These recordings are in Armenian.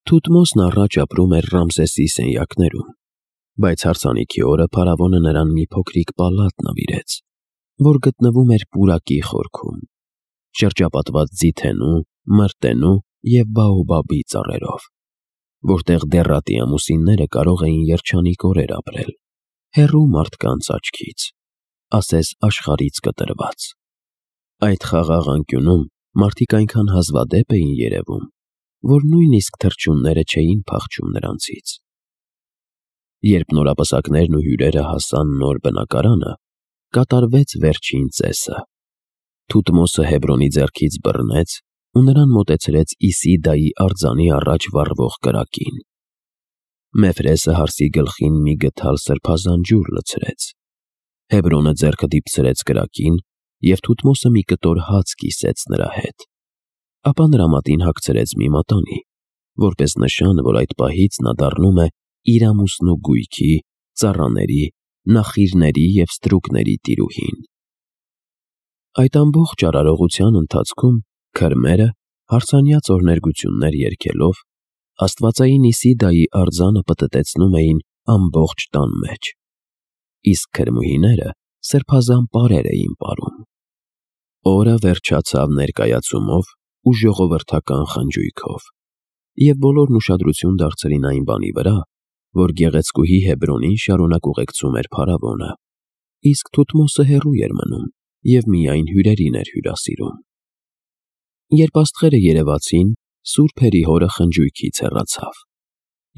Թութմոսն առաջ ապրում էր Ռամսեսի սենյակներում, բայց հարսանիքի օրը փարավոնը նրան մի փոքրիկ պալատ նվիրեց, որ գտնվում էր պուրակի խորքում, շրջապատված ձիթենու, մրտենու և բաոբաբի ծառերով, որտեղ դեռատի ամուսինները կարող էին երջանիկ օրեր ապրել, հեռու մարդկանց աչքից, ասես աշխարհից կտրված։ Այդ խաղաղ անկյունում մարդիկ այնքան հազվադեպ էին երևում, որ նույնիսկ թռչունները չէին փախչում նրանցից։ Երբ նորապսակներն ու հյուրերը հասան նոր բնակարանը, կատարվեց վերջին ծեսը։ Թութմոսը Հեբրոնի ձեռքից բռնեց ու նրան մոտեցրեց Իսիդայի արձանի առաջ վառվող կրակին։ Մեֆրեսը հարսի գլխին մի գդալ սրբազան ջուր լցրեց։ Հեբրոնը ձեռքը դիպցրեց կրակին, և Թութմոսը մի կտոր հաց կիսեց նրա հետ։ Ապա նրա մատին հագցրեց մի մատանի, որպես նշան, որ այդ պահից նա դառնում է իր ամուսնու գույքի, ծառաների, նախիրների և ստրուկների տիրուհին։ Այդ ամբողջ արարողության ընթացքում քրմերը, հարսանյաց օրհներգություններ երգելով, աստվածային Իսիդայի արձանը պտտեցնում էին ամբողջ տան մեջ, իսկ քրմուհիները սրբազան պարեր էին պարում։ Օրը վերջացավ ներկայացումով ու ժողովրդական խնջույքով, և բոլորն ուշադրություն դարձրին այն բանի վրա, որ գեղեցկուհի Հեբրոնին շարունակ ուղեկցում էր փարավոնը, իսկ Թութմոսը հեռու էր մնում և միայն հյուրերին էր հյուրասիրում։ Երբ աստղերը երևացին, Սուրբ Հերիհորը խնջույքից հեռացավ,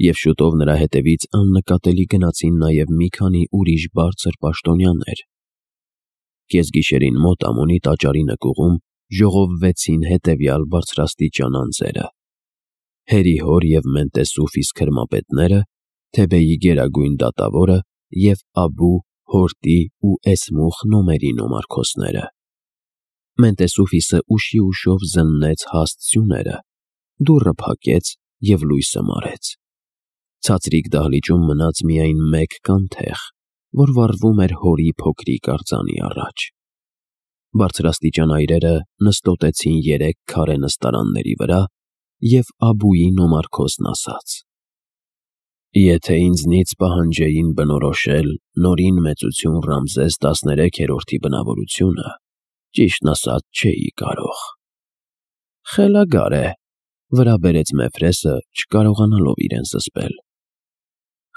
և շուտով նրա հետևից աննկատելի գնացին նաև մի քանի ուրիշ բարձր պաշտոնյաներ։ Կեսգիշերին մոտ Ամոնի տաճարի նկուղում ժողովվեցին հետևյալ բարձրաստիճան անձերը. Հերիհոր և Մենտեսուֆիս քրմապետները, Թեբեի գերագույն դատավորը և Աբու, Հորտի ու Էսմուխ նոմերի նոմարքոսները։ Մենտեսուֆիսը ուշի ուշով զննեց հաստ սյուները, դուռը փակեց և լույսը մարեց։ Ցածրիկ դահլիճում մնաց միայն մեկ կանթեղ, որ վառվում էր հորի փոքրիկ արձանի առաջ։ Բարձրաստիճան այրերը նստոտեցին 3 քարե նստարանների վրա, և Աբուի նոմարքոսն ասաց. «Եթե ինձնից պահանջեին բնորոշել Նորին մեծություն Ռամզես 13-րդի բնավորությունը, ճիշտն ասած չէի կարող»։ «Խելագար է», վրա բերեց Մեֆրեսը, չկարողանալով իրեն զսպել։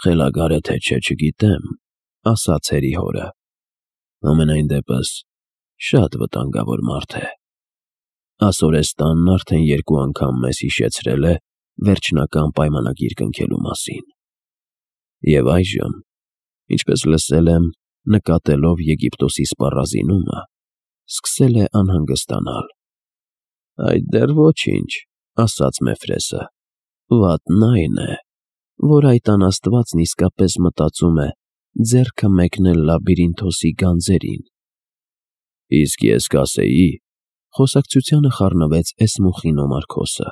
«Խելագար է թե չէ չգիտեմ», ասաց Հերիհորը։ «Համենայն դեպս շատ վտանգավոր մարդ է։ Ասորեստանն արդեն 2 անգամ մեզ հիշեցրել է վերջնական պայմանագիր կնքելու մասին։ Եվ այժմ, ինչպես լսել եմ, նկատելով Եգիպտոսի սպառազինումը, սկսել է անհանգստանալ»։ «Այդ դեռ ոչինչ», ասաց Մեֆրեսը։ «Վատն այն է, որ այդ անաստվածն իսկապես մտածում է ձեռքը մեկնել Լաբիրինթոսի գանձերին»։ «Իսկ ես կասեի», խոսակցությանը խառնվեց Էսմուխի նոմարքոսը,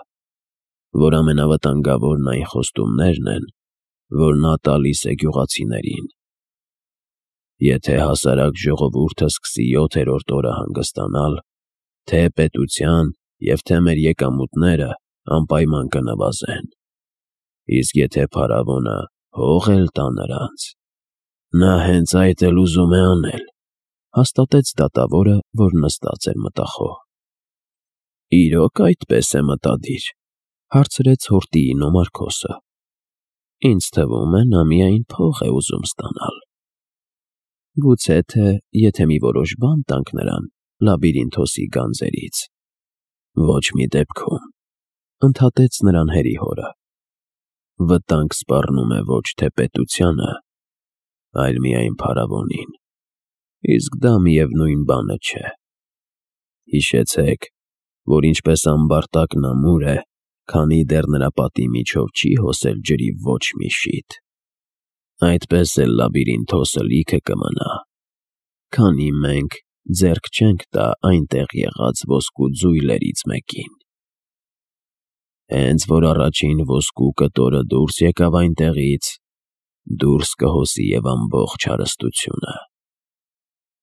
«որ ամենավտանգավորն այն խոստումներն են, որ նա տալիս է գյուղացիներին։ Եթե հասարակ ժողովուրդը սկսի 7-րդ օրը հանգստանալ, թե պետության և թե մեր եկամուտները անպայման կնվազեն։ Իսկ եթե փարավոնը հող էլ տա նրանց, նա հենց այդ էլ ուզում է անել», հաստատեց դատավորը, որ նստած էր մտախոհ։ «Իրոք այդպես է մտադիր», հարցրեց Հորտիի նոմարքոսը։ «Ինձ թվում է, նա միայն փող է ուզում ստանալ»։ «Գուցե թե եթե մի որոշ բան տանք նրան Լաբիրինթոսի գանձերից»։ «Ոչ մի դեպքում», ընդհատեց նրան Հերիհորը։ «Վտանգ սպառնում է ոչ թե պետությանը, այլ միայն փարավոնին, իսկ դա միևնույն բանը չէ։ Հիշեցեք, որ ինչպես ամբարտակն ամուր է, քանի դեռ նրա պատի միջով չի հոսել ջրի ոչ մի շիթ, այդպես էլ Լաբիրինթոսը լիքը կմնա, քանի մենք ձեռք չենք տա այնտեղ եղած ոսկու ձույլերից մեկին։ Հենց որ առաջին ոսկու կտորը դուրս եկավ այնտեղից, դուրս կհոսի և ամբողջ հարստությունը։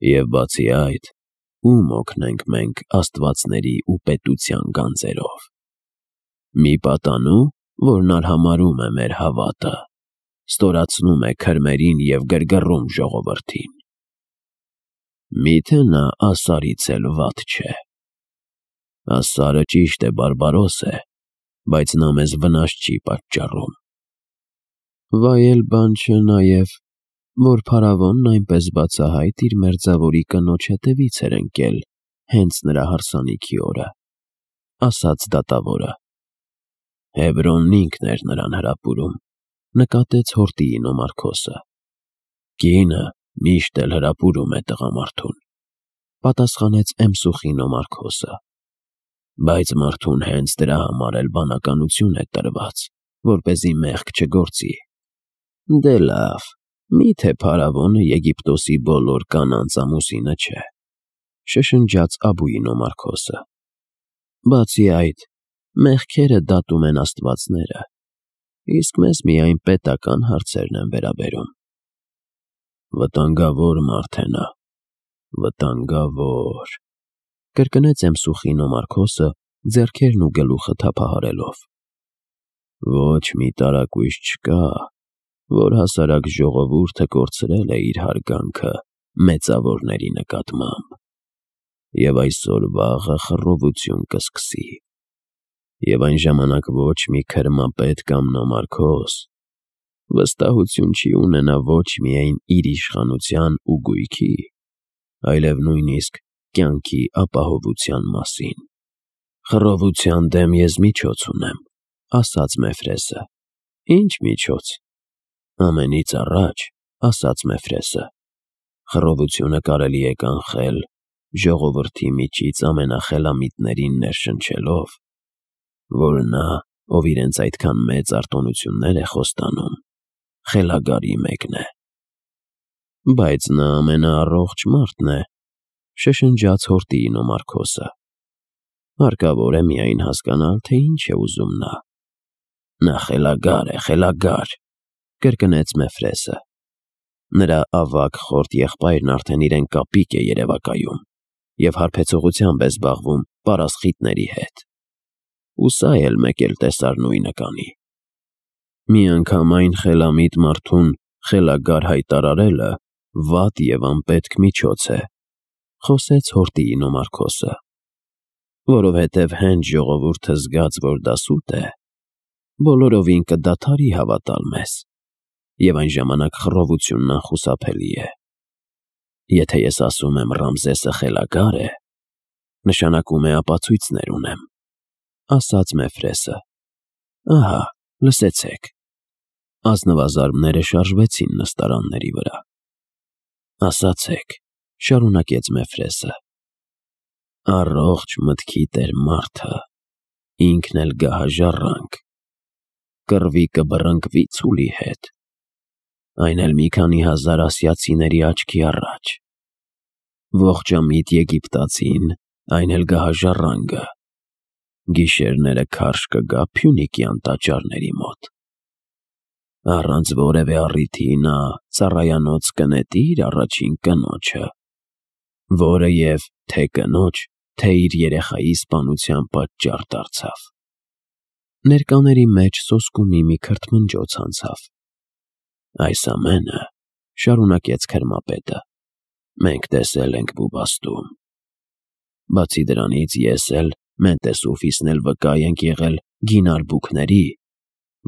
Եվ բացի այդ, ում օգնենք մենք աստվածների ու պետության գանձերով։ Մի պատանու, որն արհամարհում է մեր հավատը, ստորացնում է քրմերին և գրգռում ժողովրդին։ Միթե նա ասարից էլ վատ չէ։ Ասարը ճիշտ է բարբարոս է, բայց նա մեզ վնաս չի պատճառում։ Վայել բան չէ նաև, որ փարավոնն այնպես բացահայտ իր մերձավորի կնոջ հետևից էր ընկել հենց նրա հարսանիքի օրը, ասաց դատավորը։ Հեբրոնն ինքն էր նրան հրապուրում, նկատեց հորտիի նոմարքոսը։ Կինը միշտ էլ հրապուրում է տղամարդուն, պատասխանեց Էմսուխի նոմարքոսը։ Բայց մարդուն հենց դրա համար էլ բանականություն է տրված, որպեսզի մեղք չգործի։ Դե լավ, միթե փարավոնը Եգիպտոսի բոլոր կանանց ամուսինը չէ, շշնջաց Աբուի նոմարքոսը։ Բացի այդ, մեղքերը դատում են աստվածները, իսկ մեզ միայն պետական հարցերն են վերաբերում։ Վտանգավոր մարդ է նա, վտանգավոր, կրկնեց Էմսուխի նոմարքոսը, ձեռքերն ու գլուխը թափահարելով։ Ոչ մի տարակույս չկա, որ հասարակ ժողովուրդը կորցրել է իր հարգանքը մեծավորների նկատմամբ, և այսօր վաղը խռովություն կսկսի, և այն ժամանակ ոչ մի քրմապետ կամ նոմարքոս վստահություն չի ունենա ոչ միայն իր իշխանության ու գույքի, այլև նույնիսկ կյանքի ապահովության մասին։ Խռովության դեմ ես միջոց ունեմ, ասաց Մեֆրեսը։ Ինչ միջոց։ Ամենից առաջ, ասաց Մեֆրեսը, խռովությունը կարելի է կանխել ժողովրդի միջից ամենախելամիտներին ներշնչելով, որ նա, ով իրենց այդքան մեծ արտոնություններ է խոստանում, խելագարի մեկն է։ Բայց նա ամենաառողջ մարդն է, շշնջաց հորտիի նոմարքոսը։ Հարկավոր է միայն հասկանալ, թե ինչ է ուզում նա։ Նա խելագար է, խելագար, կրկնեց Մեֆրեսը։ Նրա ավագ խորտ եղբայրն արդեն իրեն կապիկ է երևակայում և հարբեցողությամբ է զբաղվում պարասխիտների հետ։ Ու սա էլ մեկ էլ տեսար նույնը կանի։ Մի անգամ այն խելամիտ մարդուն խելագար հայտարարելը վատ և անպետք միջոց է, խոսեց հորտիի նոմարքոսը, որովհետև հենց ժողովուրդը զգաց, որ դա սուտ է, բոլորովին կդադարի հավատալ մեզ, և այն ժամանակ խռովությունն անխուսափելի է։ Եթե ես ասում եմ Ռամզեսը խելագար է, նշանակում է ապացույցներ ունեմ, ասաց Մեֆրեսը։ Ահա, լսեցեք։ Ազնվազարդները շարժվեցին նստարանների վրա։ Ասացեք, շարունակեց Մեֆրեսը, առողջ մտքի տեր մարդը, ինքն էլ գահաժառանգ, կռվի կբռնկվի ցուլի հետ, այն էլ մի քանի հազար ասիացիների աչքի առաջ, ողջամիտ եգիպտացին, այն էլ գահաժառանգը, գիշերները քարշ կգա Փյունիկյան տաճարների մոտ, առանց որևէ առիթի նա ծառայանոց կնետի իր առաջին կնոջը, որը և թե կնոջ, թե իր երեխայի սպանության պատճառ դարձավ։ Ներկաների մեջ սոսկումի մի քրթմնջոց անցավ։ Այս ամենը, շարունակեց քրմապետը, մենք տեսել ենք Բուբաստում։ Բացի դրանից ես էլ, Մենտես ու Ֆիսն էլ վկա ենք եղել գինարբուքների,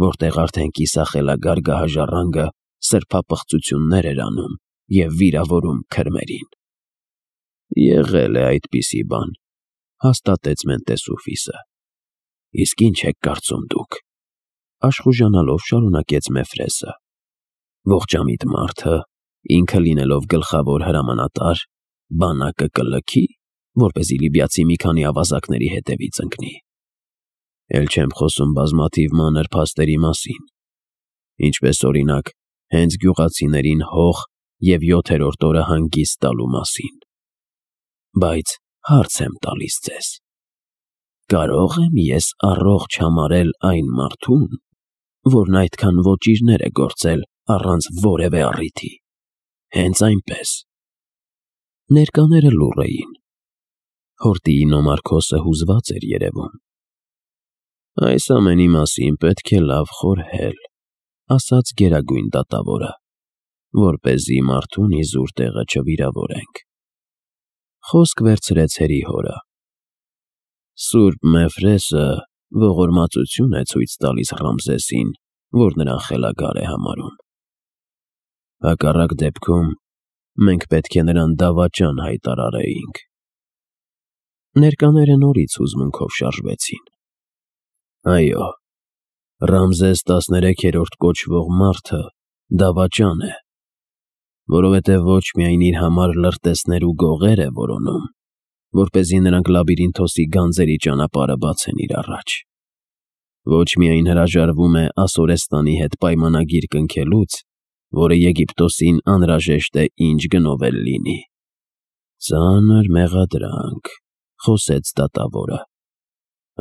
որտեղ արդեն կիսախելագար գահաժառանգը սրբապղծություններ էր անում և վիրավորում քրմերին։ Եղել է այդպիսի բան, հաստատեց Մենտես ու Ֆիսը։ Իսկ ինչ եք կարծում դուք, աշխուժանալով շարունակեց Մեֆրեսը։ Ողջամիտ մարդը, ինքը լինելով գլխավոր հրամանատար, բանակը կլքի, որպեսզի լիբիացի մի քանի ավազակների հետևից ընկնի։ Էլ չեմ խոսում բազմաթիվ մանր փաստերի մասին, ինչպես օրինակ, հենց գյուղացիներին հող և 7-րդ օրը հանգիստ տալու մասին։ Բայց հարց եմ տալիս ձեզ. կարո՞ղ եմ ես առողջ համարել այն մարդուն, որն այդքան ոճիրներ է գործել առանց որևէ առիթի։ Հենց այնպես։ Ներկաները լուռ էին։ Հորտիի նոմարքոսը հուզված էր երևում։ Այս ամենի մասին պետք է լավ խորհել, ասաց գերագույն դատավորը, որպեսզի մարդուն իզուր տեղը չվիրավորենք։ Խոսք վերցրեց հերիհորը. Սուրբ Մեֆրեսը ողորմածություն է ցույց տալիս Ռամզեսին, որ նրան խելագար է համարում։ Հակառակ դեպքում մենք պետք է նրան դավաճան հայտարարեինք։ Ներկաները նորից հուզմունքով շարժվեցին։ Այո, Ռամզես 13-րդ կոչվող մարդը դավաճան է, որովհետև ոչ միայն իր համար լրտեսներ ու գողեր է որոնում, որպեսզի նրանք Լաբիրինթոսի գանձերի ճանապարհը բացեն իր առաջ։ Ոչ միայն հրաժարվում է Ասորեստանի հետ պայմանագիր կնքելուց, որը Եգիպտոսին անհրաժեշտ է ինչ գնով էլ լինի։ Ծանր մեղադրանք, խոսեց դատավորը։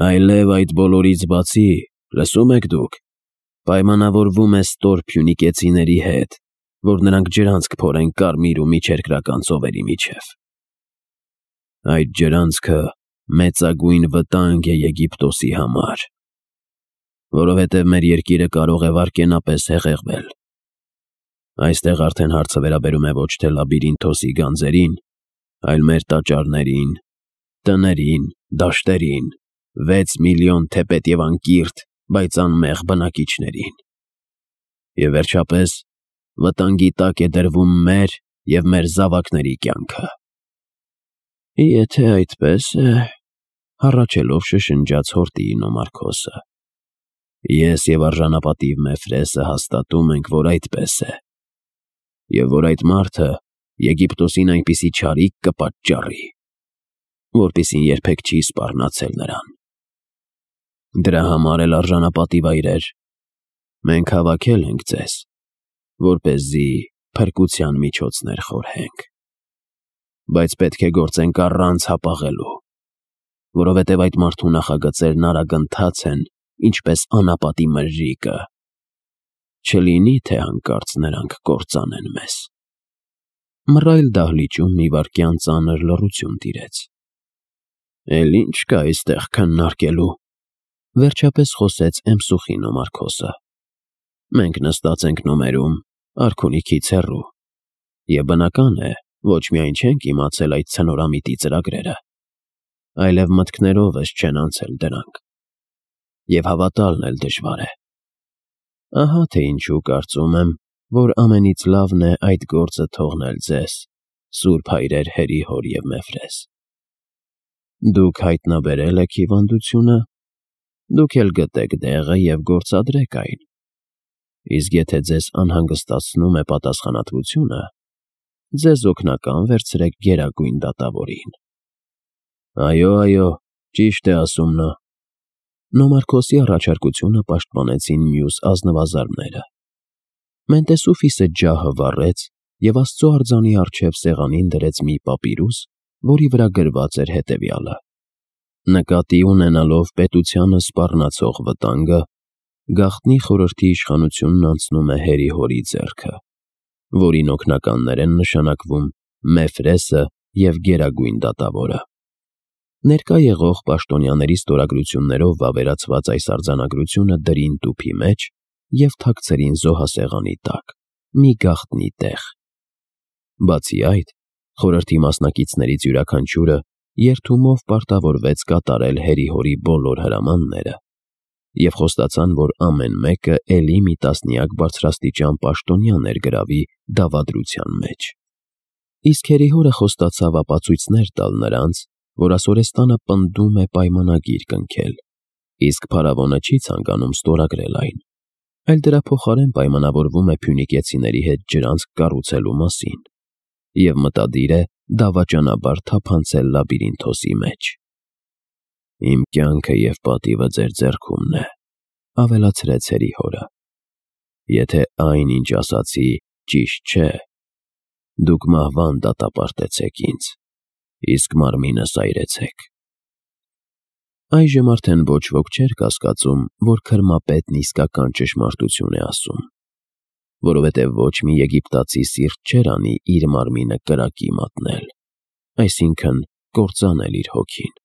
Այլև այդ բոլորից բացի, լսում եք դուք, պայմանավորվում է ստոր փյունիկեցիների հետ, որ նրանք ջրանցք փորեն կարմիր ու միջերկրական ծովերի միջև։ Այդ ջրանցքը մեծագույն վտանգ է Եգիպտոսի համար, որովհետև մեր երկիրը կարող է վարկենապես հեղեղվել։ Այստեղ արդեն հարցը վերաբերում է ոչ թե Լաբիրինթոսի գանձերին, այլ մեր տաճարներին, տներին, դաշտերին, 6 միլիոն թեպետ և անկիրթ, բայց անմեղ բնակիչներին։ Եվ վերջապես, վտանգի տակ է դրվում մեր և մեր զավակների կյանքը։ Եթե այդպես է, հառաչելով շշնջաց հորտիի Նոմարքոսը, ես և արժանապատիվ Մեֆրեսը հաստատում ենք, որ այդպես է, և որ այդ մարդը Եգիպտոսին այնպիսի չարիք կպատճառի, որպիսին երբեք չի սպառնացել նրան։ Դրա համար էլ արժանապատիվ այրեր, մենք հավաքել ենք ձեզ, որպեսզի փրկության միջոցներ խորհենք։ Բայց պետք է գործենք առանց հապաղելու, որովհետև այդ մարդու նախագծերն արագընթաց են, ինչպես անապատի մրրիկը։ Չլինի, թե հանկարծ նրանք կործանեն մեզ։ Մռայլ դահլիճում մի վայրկյան ծանր լռություն տիրեց։ Էլ ինչ կա այստեղ քննարկելու, վերջապես խոսեց Էմսուխի Նոմարքոսը։ Մենք նստած ենք նոմերում, արքունիքից հեռու, և բնական է, ոչ միայն չենք իմացել այդ ցնորամիտի ծրագրերը, այլև մտքներովս չեն անցել դրանք, և հավատալն էլ դժվար է։ Ահա թե ինչու կարծում եմ, որ ամենից լավն է այդ գործը թողնել ձեզ, սուրբ հայրեր Հերիհոր և Մեֆրես։ Դուք հայտնաբերել եք հիվանդությունը, դուք էլ գտեք դեղը և գործադրեք այն։ Իսկ եթե ձեզ անհանգստացնում է պատասխանատվությունը, ձեզ օգնական վերցրեք գերագույն դատավորին։ Այո, ճիշտ է ասում նա։ Նոմարքոսի առաջարկությունը պաշտպանեցին մյուս ազնվազարդները։ Մենտեսուֆիսը ջահը վառեց և Աստծո արձանի առջև սեղանին դրեց մի պապիրուս, որի վրա գրված էր հետևյալը. նկատի ունենալով պետությանը սպառնացող վտանգը, գաղտնի խորհրդի իշխանությունն անցնում է Հերիհորի ձեռքը, որին օգնականներ են նշանակվում Մեֆրեսը և գերագույն դատավորը։ Ներկա եղող պաշտոնյաների ստորագրություններով վավերացված այս արձանագրությունը դրին տուփի մեջ և թաքցրին զոհասեղանի տակ, մի գաղտնի տեղ։ Բացի այդ, խորհրդի մասնակիցներից յուրաքանչյուրը երդումով պարտավորվեց կատարել Հերիհորի բոլոր հրամանները և խոստացան, որ ամեն մեկը էլի մի տասնյակ բարձրաստիճան պաշտոնյա ներգրավի դավադրության մեջ։ Իսկ Հերիհորը խոստացավ ապացույցներ տալ նրանց, որ Ասորեստանը պնդում է պայմանագիր կնքել, իսկ փարավոնը չի ցանկանում ստորագրել այն, այլ դրա փոխարեն պայմանավորվում է փյունիկեցիների հետ ջրանցք կառուցելու մասին և մտադիր է դավաճանաբար թափանցել Լաբիրինթոսի մեջ։ Իմ կյանքը և պատիվը ձեր ձեռքումն է, ավելացրեց Հերիհորը։ Եթե այն, ինչ ասացի, ճիշտ չէ, դուք մահվան դատապարտեցեք ինձ, իսկ մարմինս այրեցեք։ Այժմ արդեն ոչ ոք չէր կասկածում, որ քրմապետն իսկական ճշմարտություն է ասում, որովհետև ոչ մի եգիպտացի սիրտ չէր անի իր մարմինը կրակի մատնել, այսինքն կործանել իր հոգին։